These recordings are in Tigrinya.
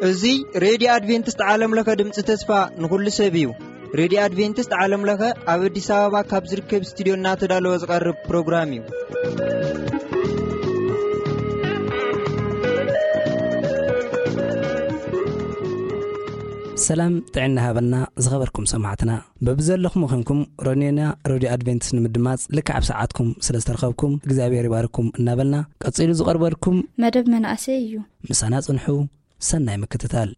እዚ ሬድዮ ኣድቬንቲስት ዓለም ለኸ ድምፂ ተስፋ ንኹሉ ሰብ እዩ። ሬድዮ ኣድቬንቲስት ዓለም ለኸ ኣብ ኣዲስ ኣበባ ካብ ዝርከብ ስቱዲዮ እናተዳለወ ዝቐርብ ፕሮግራም እዩ። ሰላም ጥዕና ሃበና ዝኸበርኩም ሰማዕትና። በብዘለኹም ኾንኩም ሮኔና ሬድዮ ኣድቬንቲስት ንምድማፅ ልክዕ ኣብ ሰዓትኩም ስለ ዝተረኸብኩም እግዚኣብሔር ይባርኩም እናበልና ቀፂሉ ዝቐርበልኩም መደብ መናእሰይ እዩ። ምሳና ጽንሑ። ሰናይ ምክትታል።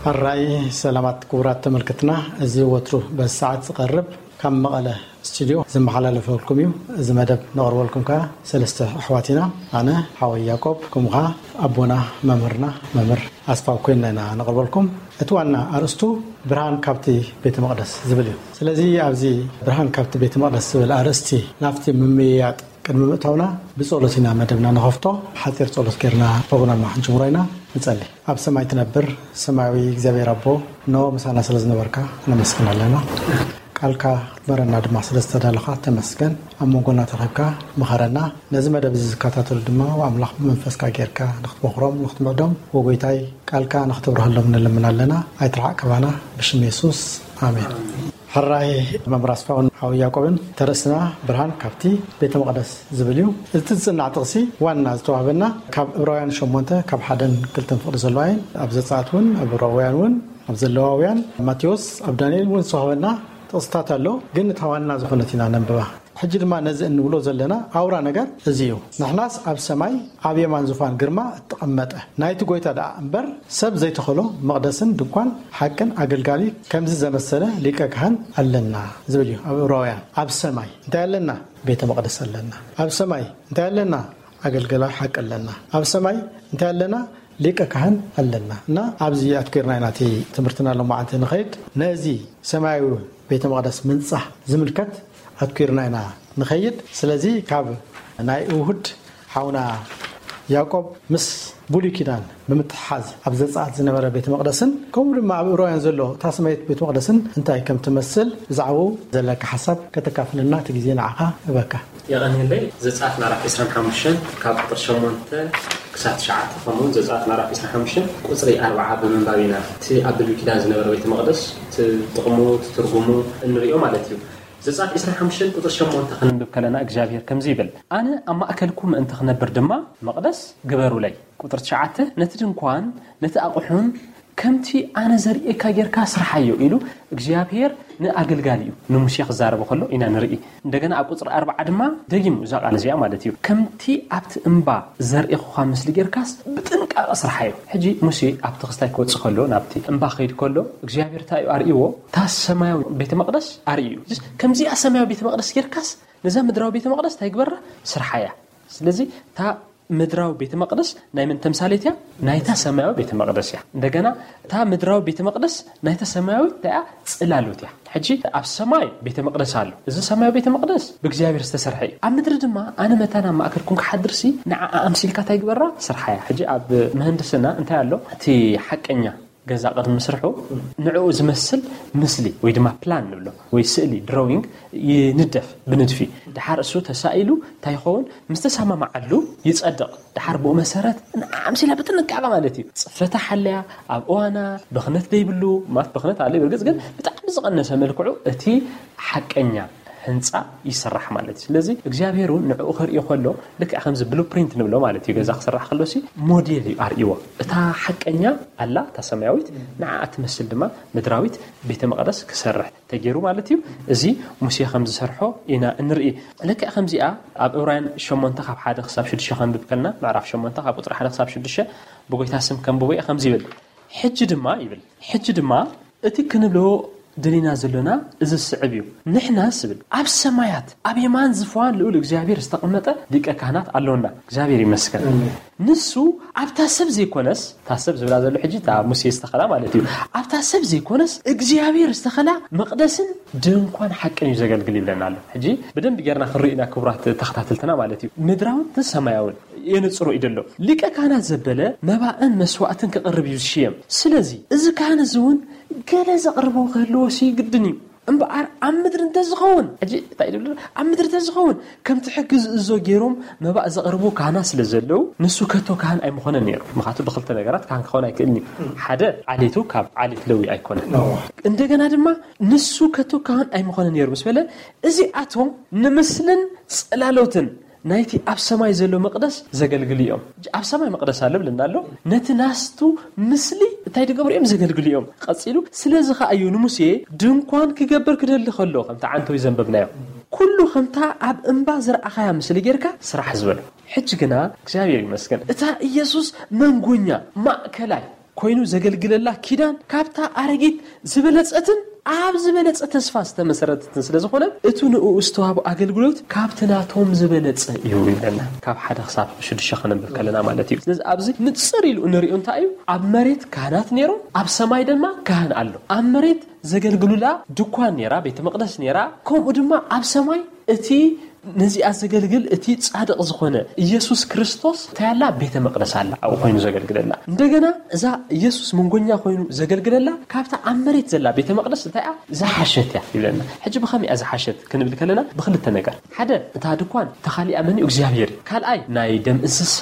ሕራይ ሰላማት ክቡራት ተመልከትና፣ እዚ ወትሩ በዚ ሰዓት ዝቐርብ ካብ መቐለ ስቱዲዮ ዝመሓላለፈልኩም እዩ። እዚ መደብ ነቕርበልኩም ከኣ ሰለስተ ኣሕዋት ኢና። ኣነ ሓወይ ያዕቆብ፣ ከምኡ ከኣ ኣቦና መምህርና መምህር ኣስፋው ኮይንና ኢና ነቕርበልኩም። እቲ ዋና ኣርእስቱ ብርሃን ካብቲ ቤተ መቕደስ ዝብል እዩ። ስለዚ ኣብዚ ብርሃን ካብቲ ቤተ መቕደስ ዝብል ኣርእስቲ ናብቲ ምምይያጥ ቅድሚ ምእታውና ብጸሎት ኢና መደብና ንኸፍቶ። ሓጺር ጸሎት ጌርና ፕሮግራምና ክንጅምሮ ኢና። ንጸሊ። ኣብ ሰማይ ትነብር ሰማያዊ እግዚኣብሔር ኣቦ፣ እነሆ ምሳና ስለ ዝነበርካ ነመስግን ኣለና። ቃልካ ክትመረና ድማ ስለ ዝተዳለኻ ተመስገን። ኣብ መንጎና ተረኺብካ ምኸረና። ነዚ መደብ እዚ ዝከታተሉ ድማ ኣምላኽ ብመንፈስካ ጌርካ ንኽትመኽሮም፣ ንኽትምዕዶም፣ ወጎይታይ ቃልካ ንኽትብርሃሎም ንልምን ኣለና። ኣይትርሓቕ ካባና፣ ብሽም የሱስ፣ ኣሜን። ሕራይ መምህር ኣስፋውን ሓው ያዕቆብን፣ ተርእስና ብርሃን ካብቲ ቤተ መቕደስ ዝብል እዩ። እቲ ዝጽናዕ ጥቕሲ ዋና ዝተዋህበና ካብ ዕብራውያን ሸሞንተ ካብ ሓደን ክልተን ፍቕዲ ዘለዋ እየን። ኣብ ዘጸኣት እውን፣ ኣብ ዕብራውያን እውን፣ ኣብ ዘለዋውያን፣ ማቴዎስ፣ ኣብ ዳንኤል እውን ዝተዋህበና ጥቕስታት ኣሎ፣ ግን እታ ዋና ዝኾነት ኢና ነንብባ። ሕጂ ድማ ነዚ እንብሎ ዘለና ኣውራ ነገር እዚ እዩ። ንሕናስ ኣብ ሰማይ ኣብ የማን ዙፋን ግርማ እተቐመጠ ናይቲ ጐይታ ደኣ እምበር፣ ሰብ ዘይተኸሎ መቕደስን ድንኳን ሓቅን ኣገልጋሊ ከምዚ ዘመሰለ ሊቀ ካህን ኣለና ዝብል እዩ። ኣብ ዕብራውያን ኣብ ሰማይ እንታይ ኣለና? ቤተ መቕደስ ኣለና። ኣብ ሰማይ እንታይ ኣለና? ኣገልጋሊ ሓቂ ኣለና። ኣብ ሰማይ እንታይ ኣለና? ሊቀ ካህን ኣለና። እና ኣብዚ ኣትኪርና ኢና እቲ ትምህርትና ሎማዓንቲ ንኸይድ። ነዚ ሰማያዊ ቤተ መቕደስ ምንጻህ ዝምልከት ኣትኪርና ኢና ንኸይድ። ስለዚ ካብ ናይ እሁድ ሓውና ያዕቆብ ምስ ብሉይ ኪዳን ብምትሕሓዝ ኣብ ዘጸኣት ዝነበረ ቤተ መቕደስን ከምኡ ድማ ኣብ ዕብራውያን ዘሎ እታ ሰማያዊት ቤተ መቕደስን እንታይ ከም ትመስል ብዛዕባኡ ዘለካ ሓሳብ ከተካፍለና እቲ ግዜ ንዓኻ እበካ። የቐንየለይ። ዘጸኣት ምዕራፍ ዕስራን ሓሙሽተን ካብ ቁጽሪ ሸሞንተ ክሳብ ትሽዓተ፣ ከምኡውን ዘጸኣት ምዕራፍ ዕስራን ሓሙሽተን ቁጽሪ ኣርብዓ ብምንባብ ኢና እቲ ኣብ ብሉይ ኪዳን ዝነበረ ቤተ መቕደስ እቲ ጥቕሙ፣ እቲ ትርጉሙ እንርእዮ ማለት እዩ። ዘጸኣት ዕስራን ሓሙሽተን ቁጽሪ ሸሞንተ ክንንብብ ከለና እግዚኣብሔር ከምዚ ይብል፣ "ኣነ ኣብ ማእከልኩም ምእንቲ ክነብር ድማ መቕደስ ግበሩለይ።" ቁጽሪ ትሽዓተ፣ "ነቲ ድንኳን ነቲ ኣቑሑን ከምቲ ኣነ ዘርእየካ ጌርካ ስርሓዮ" ኢሉ እግዚኣብሔር ንኣገልጋሊኡ ንሙሴ ክዛረቦ ከሎ ኢና ንርኢ። እንደገና ኣብ ቁጽሪ ኣርብዓ ድማ ደጊሙ እዛ ቃል እዚኣ ማለት እዩ፣ "ከምቲ ኣብቲ እምባ ዘርእኹኻ ምስሊ ጌርካስ ብጥንቃቐ ስርሓዮ።" ሕጂ ሙሴ ኣብቲ ክስታይ ክወጽእ ከሎ፣ ናብቲ እምባ ክኸይድ ከሎ እግዚኣብሔር እንታይ እዩ ኣርእይዎ? እታ ሰማያዊ ቤተ መቕደስ ኣርእዩ። ከምዚኣ ሰማያዊ ቤተ መቕደስ ጌርካስ ነዛ ምድራዊ ቤተ መቕደስ እንታይ ግበራ? ስርሓያ። ስለዚ እታ ምድራዊ ቤተ መቕደስ ናይ መን ተምሳሌት እያ? ናይታ ሰማያዊ ቤተ መቕደስ እያ። እንደገና እታ ምድራዊ ቤተ መቕደስ ናይታ ሰማያዊት እንታይ እያ? ጽላሎት እያ። ሕጂ ኣብ ሰማይ ቤተ መቕደስ ኣሎ። እዚ ሰማያዊ ቤተ መቕደስ ብእግዚኣብሔር ዝተሰርሐ እዩ። ኣብ ምድሪ ድማ ኣነ መታን ኣብ ማእከልኩም ክሓድርሲ ንዓኣ ኣምሲልካ እንታይ ግበራ? ስርሓያ። ሕጂ ኣብ ምህንድስና እንታይ ኣሎ? እቲ ሓቀኛ ገዛ ቅድሚ ምስርሑ ንዕኡ ዝመስል ምስሊ ወይ ድማ ፕላን ንብሎ ወይ ስእሊ፣ ድሮዊንግ፣ ይንደፍ ብንድፊ። ድሓር እሱ ተሳኢሉ እንታይ ይኸውን? ምስ ተሰማማዓሉ ይጸድቕ። ድሓር ብኡ መሰረት ንዓኣ ኣምሲላ ብጥንቃቐ ማለት እዩ። ጽፈታ ሓለያ፣ ኣብ እዋና፣ ብኽነት ደይብሉ፣ ማለት ብኽነት ኣሎ ብርግጽ፣ ግን ብጣዕሚ ዝቐነሰ መልክዑ እቲ ሓቀኛ ህንጻ ይስራሕ ማለት እዩ። ስለዚ እግዚኣብሔር እውን ንዕኡ ከርእዮ ከሎ ልክዕ ከምዚ ብሉፕሪንት ንብሎ ማለት እዩ። ገዛ ክስራሕ ከሎሲ ሞዴል እዩ ኣርእይዎ። እታ ሓቀኛ ኣላ፣ እታ ሰማያዊት፣ ንዓኣ ትመስል ድማ ምድራዊት ቤተ መቕደስ ክሰርሕ ተገይሩ ማለት እዩ። እዚ ሙሴ ከም ዝሰርሖ ኢና እንርኢ። ልክዕ ከምዚኣ ኣብ ዕብራውያን ሸሞንተ ካብ ሓደ ክሳብ ሽዱሽተ ከንብብ ከለና፣ ምዕራፍ ሸሞንተ ካብ ቁጽሪ ሓደ ክሳብ ሽዱሽተ ብጎይታ ስም ከንብቦ እየ። ከምዚ ይብል፣ "ሕጂ ድማ" ይብል፣ "ሕጂ ድማ እቲ ክንብሎ ደሊና ዘሎና እዚ ዝስዕብ እዩ። ንሕና ስብል ኣብ ሰማያት ኣብ የማን ዝፋን ልዑል እግዚኣብሔር ዝተቐመጠ ሊቀ ካህናት ኣሎና። እግዚኣብሔር ይመስገን። ንሱ ኣብታ ሰብ ዘይኮነስ፣ እታ ሰብ ዝብላ ዘሎ ሕጂ እታ ሙሴ ዝተኸላ ማለት እዩ። ኣብታ ሰብ ዘይኮነስ እግዚኣብሔር ዝተኸላ መቕደስን ድንኳን ሓቅን እዩ ዘገልግል ይብለና ኣሎ። ሕጂ ብደንብ ጌርና ክንርኢ ኢና ክቡራት ተኸታተልትና ማለት እዩ። ምድራውን ሰማያውን የነጽሮ እዩ ዘሎ። ሊቀ ካህናት ዘበለ መባእን መስዋዕትን ክቕርብ እዩ ዝሽየም። ስለዚ እዚ ካህን እዚ እውን ገለ ዘቕርቦ ክህልዎ ሲ ግድን እዩ። እምበኣር ኣብ ምድሪ እንተዝኸውን፣ ሕጂ እንታይ ይብል? ኣብ ምድሪ እንተዝኸውን ከምቲ ሕጊ ዝእዞ ገይሮም መባእ ዘቕርቡ ካህናት ስለ ዘለዉ፣ ንሱ ከቶ ካህን ኣይምኾነን ነይሩ። ምኽንያቱ ብኽልተ ነገራት ካህን ክኸውን ኣይክእልን እዩ። ሓደ ዓሌቱ ካብ ዓሌት ለዊ ኣይኮነን። እንደገና ድማ ንሱ ከቶ ካህን ኣይምኾነን ነይሩ ምስ በለ፣ እዚኣቶም ንምስልን ጽላሎትን ናይቲ ኣብ ሰማይ ዘሎ መቕደስ ዘገልግሉ እዮም። ኣብ ሰማይ መቕደስ ኣሎ ብለና ኣሎ። ነቲ ናስቱ ምስሊ እንታይ ዝገብሩ እዮም? ዘገልግሉ እዮም። ቀጺሉ ስለዚ ኸኣ እዩ ንሙሴ ድንኳን ክገብር ክደሊ ከሎ ከምቲ ዓንተዊ ዘንበብናዮ ኩሉ ከምታ ኣብ እምባ ዝረኣኻያ ምስሊ ጌርካ ስራሕ ዝበሎ። ሕጂ ግና እግዚኣብሔር ይመስገን እታ ኢየሱስ መንጎኛ ማእከላይ ኮይኑ ዘገልግለላ ኪዳን ካብታ ኣረጊት ዝበለጸትን ኣብ ዝበለጸ ተስፋ ዝተመሰረተትን ስለ ዝኾነ፣ እቲ ንእኡ ዝተዋህቦ ኣገልግሎት ካብቲ ናቶም ዝበለጸ እዩ ይብለና። ካብ ሓደ ክሳብ ሽዱሽተ ከነንብብ ከለና ማለት እዩ። ስለዚ ኣብዚ ንጽር ኢሉ እንሪኦ እንታይ እዩ? ኣብ መሬት ካህናት ነይሮም፣ ኣብ ሰማይ ድማ ካህን ኣሎ። ኣብ መሬት ዘገልግሉላ ድኳን ነይራ፣ ቤተ መቕደስ ነይራ፣ ከምኡ ድማ ኣብ ሰማይ እቲ ነዚኣ ዘገልግል እቲ ጻድቕ ዝኾነ ኢየሱስ ክርስቶስ እንታይ ኣላ? ቤተ መቕደስ ኣላ፣ ኣብኡ ኮይኑ ዘገልግለላ። እንደገና እዛ ኢየሱስ መንጎኛ ኮይኑ ዘገልግለላ ካብታ ኣብ መሬት ዘላ ቤተ መቕደስ እንታይ እያ? ዝሓሸት እያ ይብለና። ሕጂ ብኸመይ እያ ዝሓሸት ክንብል ከለና ብኽልተ ነገር። ሓደ፣ እታ ድኳን ተኻሊኣ መን እዩ? እግዚኣብሔር እዩ። ካልኣይ፣ ናይ ደም እንስሳ፣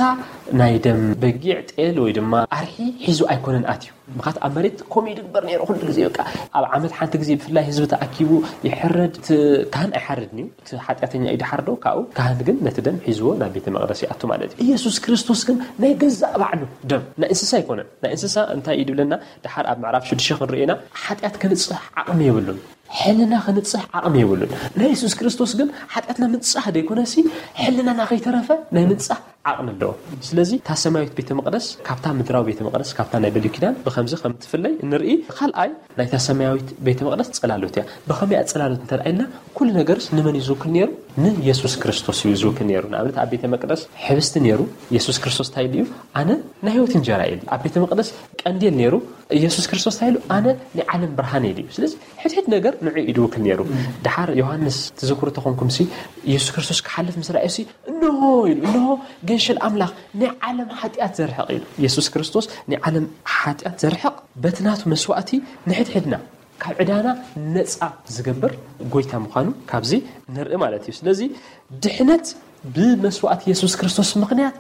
ናይ ደም በጊዕ፣ ጤል ወይ ድማ ኣርሒ ሒዙ ኣይኮነን ኣትዩ። ምኻት ኣብ መሬት ከምኡ ይድግበር ነይሩ። ኩሉ ግዜ በቃ ኣብ ዓመት ሓንቲ ግዜ ብፍላይ ህዝቢ ተኣኪቡ ይሕረድ። እቲ ካህን ኣይሓርድን እዩ። እቲ ሓጢኣተኛ እዩ ድሓርዶ ካብኡ። ካህን ግን ነቲ ደም ሒዝዎ ናብ ቤተ መቕደስ ይኣቱ ማለት እዩ። ኢየሱስ ክርስቶስ ግን ናይ ገዛእ ባዕሉ ደም፣ ናይ እንስሳ ኣይኮነን። ናይ እንስሳ እንታይ እዩ ድብለና? ድሓር ኣብ ምዕራፍ ሽዱሽተ ክንርእየና ሓጢኣት ክንጽሕ ዓቕሚ የብሉን። ሕልና ክንጽሕ ዓቕሚ የብሉን። ናይ የሱስ ክርስቶስ ግን ሓጢኣትና ምንጻህ ዘይኮነሲ፣ ሕልናና ከይተረፈ ናይ ምንጻህ ዓቕሚ ኣለዎ። ስለዚ እታ ሰማያዊት ቤተ መቕደስ ካብታ ምድራዊ ቤተ መቕደስ፣ ካብታ ናይ ብሉይ ኪዳን ብኸምዚ ከም ትፍለይ ንርኢ። ካልኣይ፣ ናይታ ሰማያዊት ቤተ መቕደስ ጽላሎት እያ። ብኸመይ እያ ጽላሎት እንተ ደኣ ኢልና፣ ኩሉ ነገርስ ንመን እዩ ዝውክል ነይሩ? ንየሱስ ክርስቶስ እዩ ዝውክል ነይሩ። ንኣብነት፣ ኣብ ቤተ መቕደስ ሕብስቲ ነይሩ። የሱስ ክርስቶስ እንታይ ኢሉ እዩ? ኣነ ናይ ህይወት እንጀራ እየ ኢሉ። ኣብ ቤተ መቕደስ ቀንዴል ነይሩ። የሱስ ክርስቶስ እንታይ ኢሉ? ኣነ ናይ ዓለም ብርሃን እየ ኢሉ። ስለዚ ሕድሕድ ነገር ንዑ እዩ ዝውክል ነይሩ። ድሓር ዮሃንስ ትዝክሩ ተኾንኩምሲ፣ የሱስ ክርስቶስ ክሓልፍ ምስ ረኣዩሲ፣ እንሆ ኢሉ፣ እንሆ ገንሸል ኣምላኽ ናይ ዓለም ሓጢኣት ዘርሕቕ ኢሉ። የሱስ ክርስቶስ ናይ ዓለም ሓጢኣት ዘርሕቕ በቲ ናቱ መስዋእቲ ንሕድሕድና ካብ ዕዳና ነጻ ዝገብር ጎይታ ምዃኑ ካብዚ ንርኢ ማለት እዩ። ስለዚ ድሕነት ብመስዋእቲ የሱስ ክርስቶስ ምኽንያት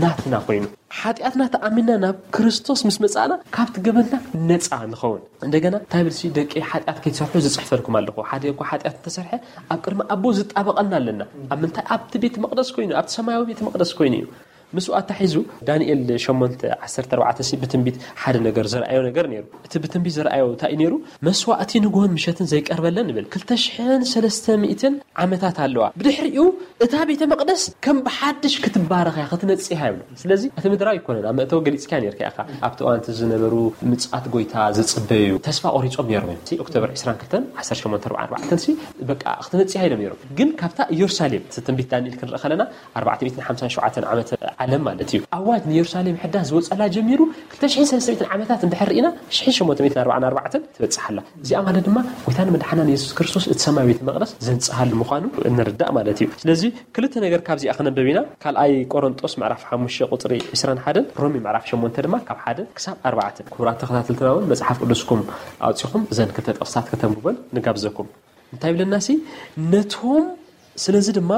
ናትና ኮይኑ፣ ሓጢኣትና ተኣሚንና ናብ ክርስቶስ ምስ መጻእና ካብቲ ገበንና ነጻ ንኸውን። እንደገና እንታይ ይብል ሲ፣ ደቂ ሓጢኣት ከይትሰርሑ ዝጽሕፈልኩም ኣለኹ። ሓደ እኳ ሓጢኣት እንተሰርሐ ኣብ ቅድሚ ኣቦ ዝጣበቐና ኣለና። ኣብ ምንታይ? ኣብቲ ቤተ መቕደስ ኮይኑ፣ ኣብቲ ሰማያዊ ቤተ መቕደስ ኮይኑ እዩ። ምስኡ ኣታሒዙ ዳንኤል ሸሞንተ ዓሰርተ ኣርባዕተ ሲ ብትንቢት ሓደ ነገር ዘርኣዮ ነገር ነይሩ። እቲ ብትንቢት ዘርኣዮ እንታይ እዩ ነይሩ? መስዋእቲ ንግሆን ምሸትን ዘይቀርበለን ይብል። ክልተ ሽሕን ሰለስተ ሚእትን ዓመታት ኣለዋ። ብድሕሪኡ እታ ቤተ መቕደስ ከም ብሓድሽ ክትባረኽ እያ፣ ክትነጽህ እያ ይብሉ። ስለዚ እቲ ምድራዊ ኣይኮነን። ኣብ መእተዊ ገሊጽካ ነይርካ ኢኻ። ኣብቲ እዋን እቲ ዝነበሩ ምጽኣት ጎይታ ዝጽበዩ ተስፋ ቆሪጾም ነይሮም እዮም። ሲ ኦክቶበር ዕስራን ክልተን ዓሰርተ ሸሞንተ ኣርባዓን ኣርባዕተን ሲ በቃ ክትነጽህ እያ ኢሎም ነይሮም። ግን ካብታ ኢየሩሳሌም፣ እቲ ትንቢት ዳንኤል ክንርኢ ከለና፣ ኣርባዕተ ሚእትን ሓምሳን ሸውዓተን ዓመተ ዓለም ማለት እዩ። ኣዋጅ ንየሩሳሌም ሕዳስ ዝወጸላ ጀሚሩ ክልተ ሽሕን ሰለስተ ሚእትን ዓመታት እንድሕር ርኢና፣ ሽሕን ሸሞንተ ሚእትን ኣርባዓን ኣርባዕተን ትበጽሕ ኣላ። እዚኣ ማለት ድማ ጎይታን መድሓናን የሱስ ክርስቶስ እቲ ሰማያዊ ቤተ መቕደስ ዘንጽሃሉ ምዃኑ እንርዳእ ማለት እዩ። ስለዚ ክልተ ነገር ካብዚኣ ክነንብብ ኢና። ካልኣይ ቆሮንጦስ ምዕራፍ ሓሙሽተ ቁጽሪ ዕስራን ሓደን፣ ሮሜ ምዕራፍ ሸሞንተ ድማ ካብ ሓደ ክሳብ ኣርባዕተ። ክቡራት ተኸታተልትና እውን መጽሓፍ ቅዱስኩም ኣውጺኹም እዘን ክልተ ጥቕስታት ከተንብቦን ንጋብዘኩም። እንታይ ይብለና ሲ? ነቶም፣ ስለዚ ድማ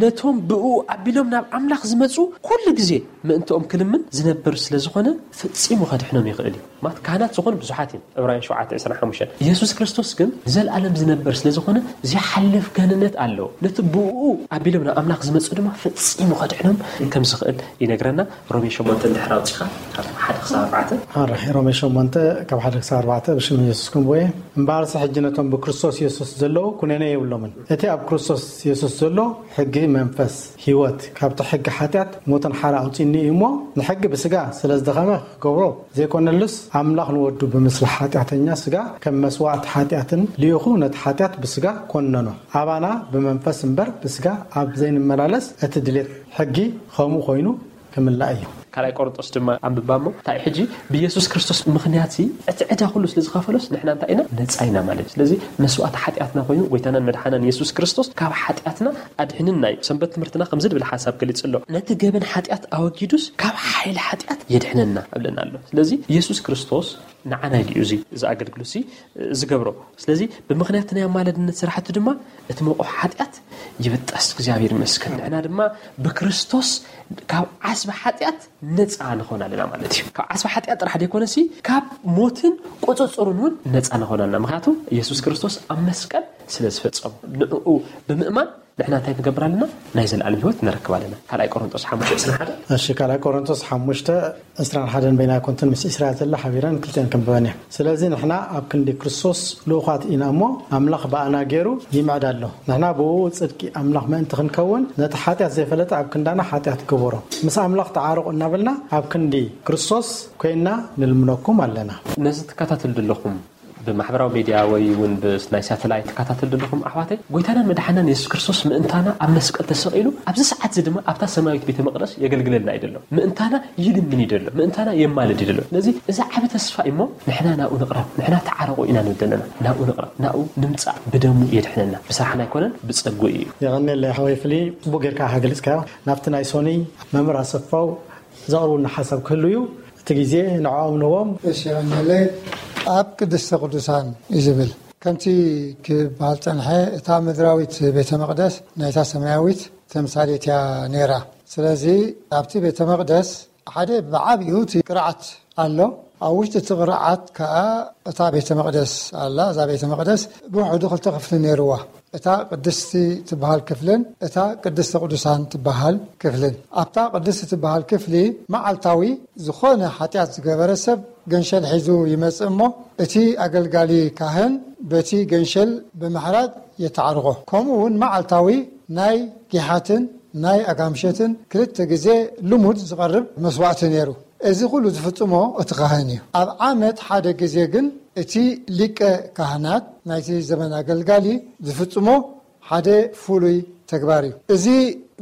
ነቶም ብእኡ ኣቢሎም ናብ ኣምላኽ ዝመጹ ኩሉ ግዜ ምእንትኦም ክልምን ዝነብር ስለ ዝኾነ፣ ፈጺሙ ከድሕኖም ይኽእል እዩ። ማለት ካህናት ዝኾኑ ብዙሓት እዮም። ዕብራውያን ሸውዓተ ዕስራን ሓሙሽተን። የሱስ ክርስቶስ ግን ንዘለኣለም ዝነብር ስለ ዝኾነ፣ ዘይሓልፍ ገንነት ኣለዎ። ነቲ ብእኡ ኣቢሎም ናብ ኣምላኽ ዝመጹ ድማ ፈጺሙ ከድሕኖም ከም ዝኽእል ይነግረና። ሮሜ ሸሞንተ እንድሕር ኣውጺኻ፣ ካብ ሓደ ክሳብ ኣርባዕተ። ኣረ፣ ሮሜ ሸሞንተ ካብ ሓደ ክሳብ ኣርባዕተ፣ ብሽም የሱስ ክንብቦ እየ። እምበኣርሲ ሕጂ ነቶም ብክርስቶስ የሱስ ዘለዉ ኩነኔ የብሎምን። እቲ ኣብ ክርስቶስ ኢየሱስ ዘሎ ሕጊ መንፈስ ህይወት ካብቲ ሕጊ ሓጢኣት ሞትን ሓራ ኣውፂኒ እዩ እሞ፣ ንሕጊ ብስጋ ስለ ዝደኸመ ክገብሮ ዘይኮነሉስ፣ ኣምላኽ ንወዱ ብምስሊ ሓጢኣተኛ ስጋ ከም መስዋእቲ ሓጢኣትን ልኢኹ ነቲ ሓጢኣት ብስጋ ኮነኖ። ኣባና ብመንፈስ እምበር ብስጋ ኣብ ዘይንመላለስ፣ እቲ ድሌት ሕጊ ከምኡ ኮይኑ ክምላእ እዩ። ካልኣይ ቆሮንጦስ ድማ ኣንብባ እሞ እንታይ ሕጂ ብኢየሱስ ክርስቶስ ምኽንያት እቲ ዕዳ ኩሉ ስለ ዝኸፈሎስ ንሕና እንታይ ኢና? ነፃ ኢና ማለት እዩ። ስለዚ መስዋእቲ ሓጢኣትና ኮይኑ ጎይታናን መድሓናን ኢየሱስ ክርስቶስ ካብ ሓጢኣትና ኣድሕንና እዩ። ሰንበት ትምህርትና ከምዚ ድብል ሓሳብ ገሊጹ ኣሎ። ነቲ ገበን ሓጢኣት ኣወጊዱስ ካብ ሓይሊ ሓጢኣት የድሕነና እብለና ኣሎ። ስለዚ ኢየሱስ ክርስቶስ ንዓና ኢሉ እዩ እዚ፣ እዚ ኣገልግሎት እዚ ዝገብሮ። ስለዚ ብምኽንያት ናይ ኣማለድነት ስራሕቱ ድማ እቲ መቑሕ ሓጢኣት ይብጠስ። እግዚኣብሔር ይመስገን። ንሕና ድማ ብክርስቶስ ካብ ዓስቢ ሓጢኣት ነፃ ንኾን ኣለና ማለት እዩ። ካብ ዓስቢ ሓጢኣት ጥራሕ ዘይኮነሲ ካብ ሞትን ቁፅፅሩን እውን ነፃ ንኾን ኣለና። ምክንያቱ ኢየሱስ ክርስቶስ ኣብ መስቀል ስለ ዝፈፀሙ ንዕኡ ብምእማን ንሕና እንታይ ንገብር ኣለና? ናይ ዘለኣለም ህይወት ንረክብ ኣለና። ካልኣይ ቆሮንጦስ ሓሙሽተ ዕስራን ሓደን። እሺ፣ ካልኣይ ቆሮንጦስ ሓሙሽተ ዕስራን ሓደን በይና ኣይኮንትን ምስ ዕስራ ዘላ ሓቢረን ክልቲአን ከንብበን እየ። ስለዚ ንሕና ኣብ ክንዲ ክርስቶስ ልኡኻት ኢና እሞ፣ ኣምላኽ ብኣና ገይሩ ይምዕድ ኣሎ። ንሕና ብኡ ጽድቂ ኣምላኽ ምእንቲ ክንከውን፣ ነቲ ሓጢኣት ዘይፈለጠ ኣብ ክንዳና ሓጢኣት ገበሮ። ምስ ኣምላኽ ተዓረቑ እናበልና ኣብ ክንዲ ክርስቶስ ኮይንና ንልምነኩም ኣለና። ነዚ ትከታተሉ ዘለኹም ብማሕበራዊ ሚድያ ወይ እውን ብ-፣ ናይ ሳተላይት ትከታተሉ ዘለኹም ኣሕዋተይ፣ ጎይታናን መድሓናን የሱስ ክርስቶስ ምእንታና ኣብ መስቀል ተሰቒሉ፣ ኣብዚ ሰዓት እዚ ድማ ኣብታ ሰማያዊት ቤተ መቕደስ የገልግለልና እዩ ዘሎ። ምእንታና ይልምን እዩ ዘሎ። ምእንታና የማልድ እዩ ዘሎ። ስለዚ እዚ ዓቢ ተስፋ እዩ እሞ፣ ንሕና ናብኡ ንቕረብ፣ ንሕና ተዓረቑ ኢና ንብል ዘለና። ናብኡ ንቕረብ፣ ናብኡ ንምጻእ፣ ብደሙ የድሕነና። ብስራሕና ኣይኮነን፣ ብጸግኡ እዩ። የቐንየለይ ሓወይ ፍሊ፣ ጽቡቕ ጌርካ ኢኻ ገሊጽካዮ። ናብቲ ናይ ሶኒ መምህር ኣሰፋው ዘቕርቡልና ሓሳብ ክህሉ እዩ። እቲ ግዜ ንዕኦም ንህቦም። እሺ፣ የቐንየለይ። ኣብ ቅድስተ ቅዱሳን እዩ ዝብል። ከምቲ ክበሃል ጸንሐ፣ እታ ምድራዊት ቤተ መቕደስ ናይታ ሰማያዊት ተምሳሌት እያ ነይራ። ስለዚ ኣብቲ ቤተ መቕደስ ሓደ ብዓቢኡ እቲ ቅርዓት ኣሎ። ኣብ ውሽጢ እቲ ቅርዓት ከኣ እታ ቤተ መቕደስ ኣላ። እዛ ቤተ መቕደስ ብውሕዱ ክልተ ክፍሊ ነይርዋ። እታ ቅድስቲ ትበሃል ክፍልን እታ ቅድስተ ቅዱሳን ትበሃል ክፍልን። ኣብታ ቅድስቲ ትበሃል ክፍሊ መዓልታዊ ዝኾነ ሓጢኣት ዝገበረ ሰብ ገንሸል ሒዙ ይመጽእ እሞ፣ እቲ ኣገልጋሊ ካህን በቲ ገንሸል ብምሕራድ የተዓርቖ። ከምኡ እውን መዓልታዊ ናይ ጊሓትን ናይ ኣጋምሸትን ክልተ ግዜ ልሙድ ዝቐርብ መስዋእቲ ነይሩ። እዚ ኩሉ ዝፍጽሞ እቲ ካህን እዩ። ኣብ ዓመት ሓደ ግዜ ግን እቲ ሊቀ ካህናት ናይቲ ዘመን ኣገልጋሊ ዝፍጽሞ ሓደ ፍሉይ ተግባር እዩ። እዚ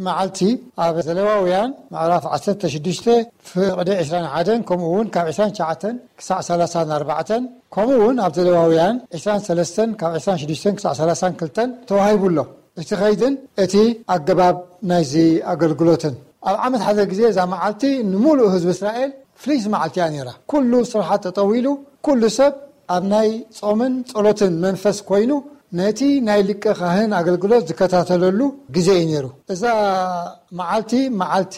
መዓልቲ ኣብ ዘሌዋውያን ምዕራፍ ዓሰርተ ሽዱሽተ ፍቕዲ ዕስራን ሓደን፣ ከምኡ እውን ካብ ዕስራን ትሽዓተን ክሳዕ ሰላሳን ኣርባዕተን፣ ከምኡ እውን ኣብ ዘሌዋውያን ዕስራን ሰለስተን ካብ ዕስራን ሽዱሽተን ክሳዕ ሰላሳን ክልተን ተዋሂቡ ኣሎ። እቲ ኸይድን እቲ ኣገባብ ናይዚ ኣገልግሎትን። ኣብ ዓመት ሓደ ግዜ እዛ መዓልቲ ንምሉእ ህዝቢ እስራኤል ፍልይቲ መዓልቲ እያ ነይራ። ኩሉ ስራሓት ጠጠው ኢሉ፣ ኩሉ ሰብ ኣብ ናይ ጾምን ጸሎትን መንፈስ ኮይኑ፣ ነቲ ናይ ሊቀ ካህን ኣገልግሎት ዝከታተለሉ ግዜ እዩ ነይሩ። እዛ መዓልቲ፣ መዓልቲ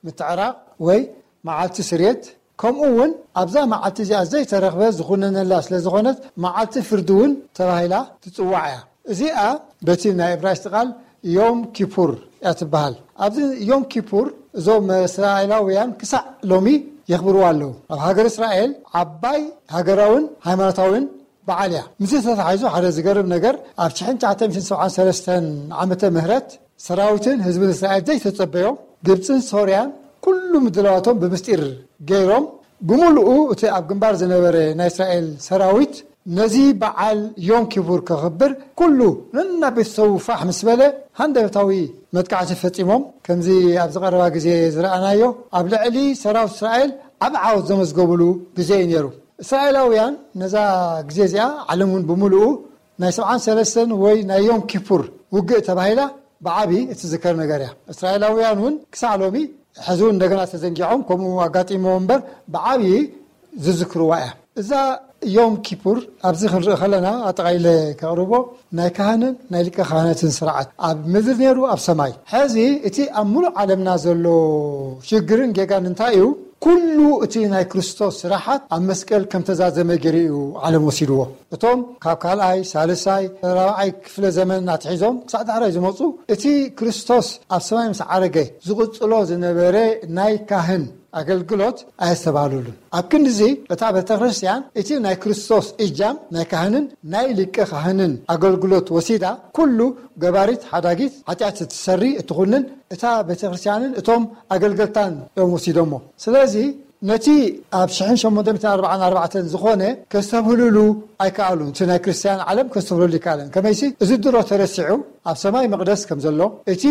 ምትዕራቕ ወይ መዓልቲ ስርየት፣ ከምኡ እውን ኣብዛ መዓልቲ እዚኣ ዘይተረኽበ ዝኹነነላ ስለ ዝኾነት፣ መዓልቲ ፍርዲ እውን ተባሂላ ትጽዋዕ እያ። እዚኣ በቲ ናይ እብራይስጥ ቃል ዮም ኪፑር እያ ትበሃል። ኣብዚ ዮም ኪፑር እዞም እስራኤላውያን ክሳዕ ሎሚ የኽብርዋ ኣለዉ። ኣብ ሃገር እስራኤል ዓባይ ሃገራውን ሃይማኖታውን በዓል እያ። ምስዚ ተተሓሒዙ ሓደ ዝገርም ነገር፣ ኣብ ሽሕን ትሽዓተ ሚእትን ሰብዓን ሰለስተን ዓመተ ምህረት ሰራዊትን ህዝብን እስራኤል ዘይተጸበዮም፣ ግብጽን ሶርያን ኩሉ ምድላዋቶም ብምስጢር ገይሮም፣ ብምሉኡ እቲ ኣብ ግንባር ዝነበረ ናይ እስራኤል ሰራዊት ነዚ በዓል ዮም ኪፑር ከኽብር ኩሉ ነና ቤተሰቡ ፋሕ ምስ በለ፣ ሃንደበታዊ መጥቃዕቲ ፈጺሞም። ከምዚ ኣብዚ ቀረባ ግዜ ዝረኣናዮ፣ ኣብ ልዕሊ ሰራዊት እስራኤል ዓቢ ዓወት ዘመዝገቡሉ ግዜ እዩ ነይሩ። እስራኤላውያን ነዛ ግዜ እዚኣ፣ ዓለም እውን ብምሉኡ ናይ ሰብዓን ሰለስተን ወይ ናይ ዮም ኪፑር ውግእ ተባሂላ ብዓቢ እትዝከር ነገር እያ። እስራኤላውያን እውን ክሳዕ ሎሚ፣ ሕዚ እውን እንደገና ተዘንጊዖም ከምኡ ኣጋጢምዎ እምበር፣ ብዓቢ ዝዝክርዋ እያ። እዛ ዮም ኪፑር ኣብዚ ክንርኢ ከለና፣ ኣጠቓሊለ ከቕርቦ፣ ናይ ካህንን ናይ ሊቀ ካህናትን ስርዓት፣ ኣብ ምድሪ ነይሩ ኣብ ሰማይ። ሕዚ እቲ ኣብ ምሉእ ዓለምና ዘሎ ሽግርን ጌጋን እንታይ እዩ? ኩሉ እቲ ናይ ክርስቶስ ስራሓት ኣብ መስቀል ከም ተዛዘመ ገይሩ እዩ ዓለም ወሲድዎ። እቶም ካብ ካልኣይ፣ ሳልሳይ፣ ራብዓይ ክፍለ ዘመን ኣትሒዞም ክሳዕ ዳሕራይ ዝመጹ፣ እቲ ክርስቶስ ኣብ ሰማይ ምስ ዓረገ ዝቕጽሎ ዝነበረ ናይ ካህን ኣገልግሎት ኣየስተባህሉሉን። ኣብ ክንድዚ እታ ቤተ ክርስቲያን እቲ ናይ ክርስቶስ እጃም ናይ ካህንን ናይ ሊቀ ካህንን ኣገልግሎት ወሲዳ፣ ኩሉ ገባሪት ሓዳጊት ሓጢኣት እትሰሪ እትኹንን እታ ቤተ ክርስቲያንን እቶም ኣገልገልታን እዮም ወሲዶሞ። ስለዚ ነቲ ኣብ ሽሕን ሸሞንተ ሚእትን ኣርባዓን ኣርባዕተን ዝኾነ ከስተብህሉሉ ኣይከኣሉን። እቲ ናይ ክርስቲያን ዓለም ከስተብህሉሉ ኣይከኣለን። ከመይሲ እዚ ድሮ ተረሲዑ ኣብ ሰማይ መቕደስ ከም ዘሎ፣ እቲ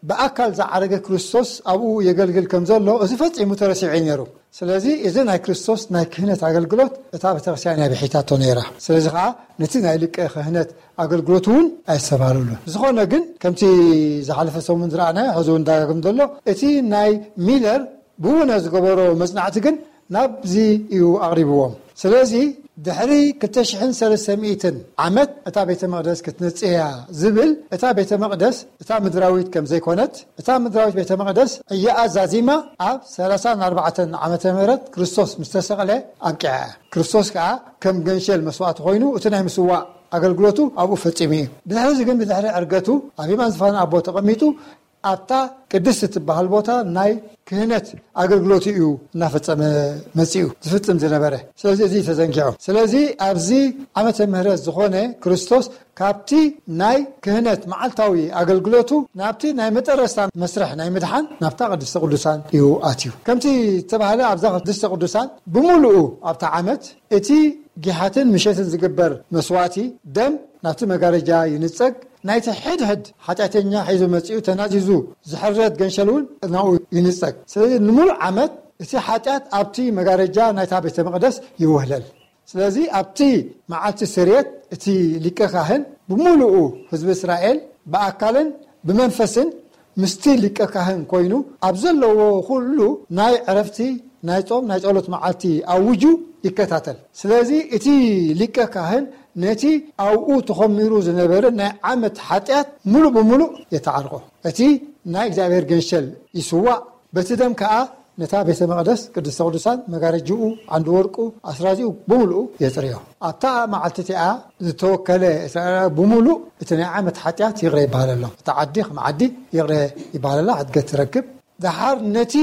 ብኣካል ዝዓረገ ክርስቶስ ኣብኡ የገልግል ከም ዘሎ፣ እዚ ፈጺሙ ተረሲዑ እዩ ነይሩ። ስለዚ እዚ ናይ ክርስቶስ ናይ ክህነት ኣገልግሎት እታ ቤተክርስትያን እያ ብሒታቶ ነይራ። ስለዚ ኸዓ ነቲ ናይ ሊቀ ክህነት ኣገልግሎት እውን ኣየስተባህሉሉን። ዝኾነ ግን ከምቲ ዝሓለፈ ሰሙን ዝረኣናዮ ሕዚ እውን ዳግም ዘሎ እቲ ናይ ሚለር ብውነ ዝገበሮ መጽናዕቲ ግን ናብዚ እዩ ኣቕሪብዎም። ስለዚ ድሕሪ ክልተ ሽሕን ሰለስተ ሚእትን ዓመት እታ ቤተ መቕደስ ክትነጽህ እያ ዝብል፣ እታ ቤተ መቕደስ እታ ምድራዊት ከም ዘይኮነት፣ እታ ምድራዊት ቤተ መቕደስ ዕያኣ ዛዚማ ኣብ ሰላሳን ኣርባዕተን ዓመተ ምህረት ክርስቶስ ምስ ተሰቕለ ኣብቂዓ እያ። ክርስቶስ ከኣ ከም ገንሸል መስዋእቲ ኮይኑ እቲ ናይ ምስዋእ ኣገልግሎቱ ኣብኡ ፈጺሙ እዩ። ብድሕሪ እዚ ግን ብድሕሪ ዕርገቱ ኣብ የማን ዝፋን ኣቦ ተቐሚጡ ኣብታ ቅድስቲ ትበሃል ቦታ ናይ ክህነት ኣገልግሎቱ እዩ እናፈጸመ መጺኡ ዝፍጽም ዝነበረ። ስለዚ እዚ ተዘንጊዑ። ስለዚ ኣብዚ ዓመተ ምህረት ዝኾነ ክርስቶስ ካብቲ ናይ ክህነት መዓልታዊ ኣገልግሎቱ ናብቲ ናይ መጠረስታ መስርሕ ናይ ምድሓን ናብታ ቅድስተ ቅዱሳን እዩ ኣትዩ። ከምቲ ዝተባህለ ኣብዛ ቅድስተ ቅዱሳን ብምሉኡ ኣብታ ዓመት እቲ ጊሓትን ምሸትን ዝግበር መስዋእቲ ደም ናብቲ መጋረጃ ይንጸግ፣ ናይቲ ሕድሕድ ሓጢኣተኛ ሒዙ መጺኡ ተናዚዙ ዝሕረድ ገንሸል እውን ናብኡ ይንጸግ። ስለዚ ንምሉእ ዓመት እቲ ሓጢኣት ኣብቲ መጋረጃ ናይታ ቤተ መቕደስ ይውህለል። ስለዚ ኣብቲ መዓልቲ ስርየት እቲ ሊቀ ካህን ብምሉኡ ህዝቢ እስራኤል ብኣካልን ብመንፈስን ምስቲ ሊቀ ካህን ኮይኑ ኣብ ዘለዎ ኩሉ ናይ ዕረፍቲ፣ ናይ ጾም፣ ናይ ጸሎት መዓልቲ ኣውጁ ይከታተል። ስለዚ እቲ ሊቀ ካህን ነቲ ኣብኡ ተኾሚሩ ዝነበረ ናይ ዓመት ሓጢኣት ምሉእ ብምሉእ የተዓርቆ። እቲ ናይ እግዚኣብሔር ገንሸል ይስዋእ፣ በቲ ደም ከኣ ነታ ቤተ መቕደስ ቅድስተ ቅዱሳን መጋረጅኡ ዓንዲ ወርቁ ኣስራዚኡ ብምሉኡ የጽርዮ። ኣብታ መዓልቲ እቲኣ ዝተወከለ እስራኤላዊ ብምሉእ እቲ ናይ ዓመት ሓጢኣት ይቕረ ይበሃለሎም። እታ ዓዲ ከም ዓዲ ይቕረ ይበሃለላ፣ ሕድገት ትረክብ። ደሓር ነቲ